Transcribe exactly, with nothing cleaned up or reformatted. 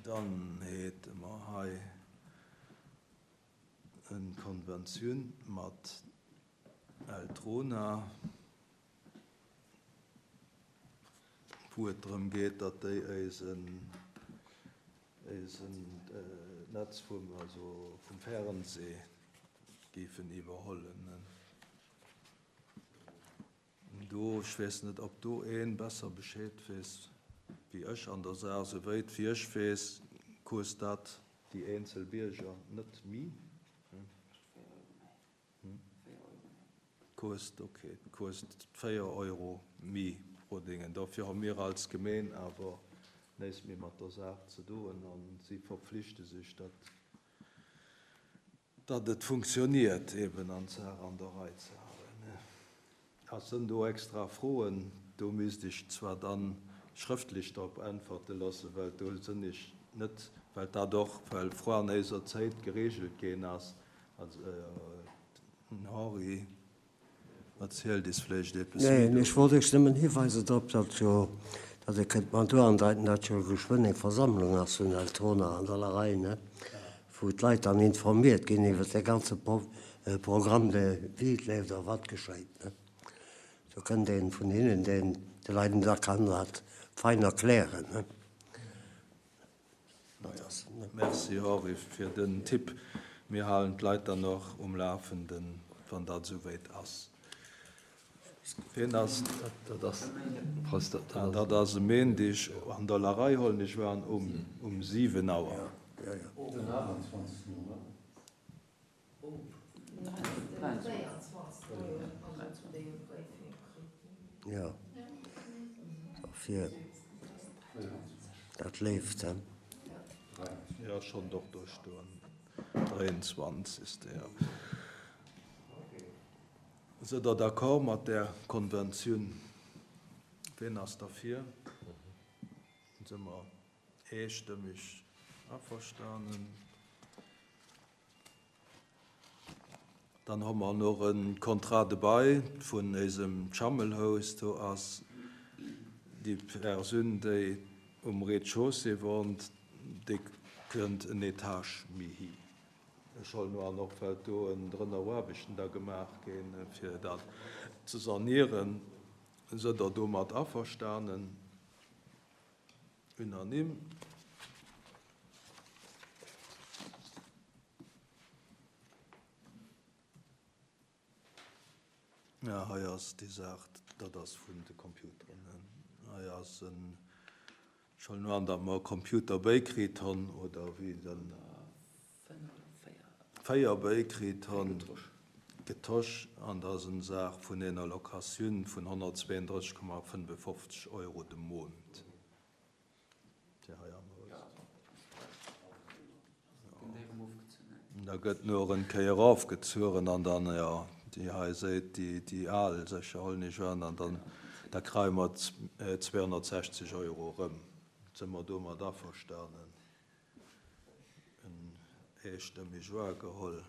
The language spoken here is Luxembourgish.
Dann hate mer hei eng Konventioun mat Eltrona, wou et drëm geet, datt déi eisen eisen Netz vum, also vum Fernseh géifen iwwerhollen. Do, ech weess net, ob do een besser Bescheed weess wéi ech an der Saach. Souwéit wéi ech weess, kost dat déi eenzel Bierger net méi. Kost, ok, kost véier Euro méi pro Dingen. Dofir hu mir als Gemeen awer näischt méi mat der Saach ze doen an si verpflichte sech, datt datt et funktioniert, eben an d'Saach an der Rei ze halen. Ass sënn do extra Froen? Do misst ech zwar dann schrëftlech drop äntwerte loossen, well do sënn ech net, well dat och well fro an eiser Zäit geregelt ginn ass. Also den Henri erzielt is vläicht eppes méi. Neen, ech wollt iech nëmmen hiweisen drop, datt jo, datt Dir kënnt mer do andeiten, datt jo geschwënn eng Versammlung ass vun Eltrona an der Larei, ne, wou d'Leit dann informiert ginn iwwert de ganze Programme, de wéi et leeft a wat geschéit, ne. Do kënnt een vun hinnen, deen de Leiden da kann dat fein erklären, ne. Merci Henri fir den Tipp. Mir halen d'Leit dann och um Lafenden, wann dat esouwäit ass. Wien ass dat? Dat ass dat ass e Méindeg an der Larei, hollen ech an, um um siwen Auer. Den aachtundzwanzegsten, oder? Jo, dofir, dat leeft, he. Jo, schonn och do stoen, dräianzwanzegste, jo. Sidd Der d'accord mat där Konventioun? Wien ass derfir? Si mer eestëmmeg averstanen. Dann hu mer nach e Contrat de bail vun eisem Schammelhaus. Do ass déi Persoun, déi um Rez-de-chaussée wohnt, déi kënnt en Etage méi hi. Ech hollen an och, well do en drënner Aarbechten da gemaach ginn, fir dat ze sanieren. Sidd Der domat averstanen? Unanime. Ja, hei ass déi Saach, dat ass vun de Computeren. Hei ass en, ech hollen an, datt mer e Computer bäikritt hunn, oder wéi den véier bäikritt hunn, getosch, an dat ass eng Saach vun enger Locatioun vun honnertzweeëndrësseg Komma fënnefofzeg Euro de Mount. Fir hei am Haus. Da gëtt nur en Kéier erofgezueren an dann, jo, déi hei seet, déi, déi al sécher hollen ech an, an dann da kréie mer zweehonnertsechzeg Euro erëm. Si mer domat averstanen? En eestëmmeg wahrgeholl.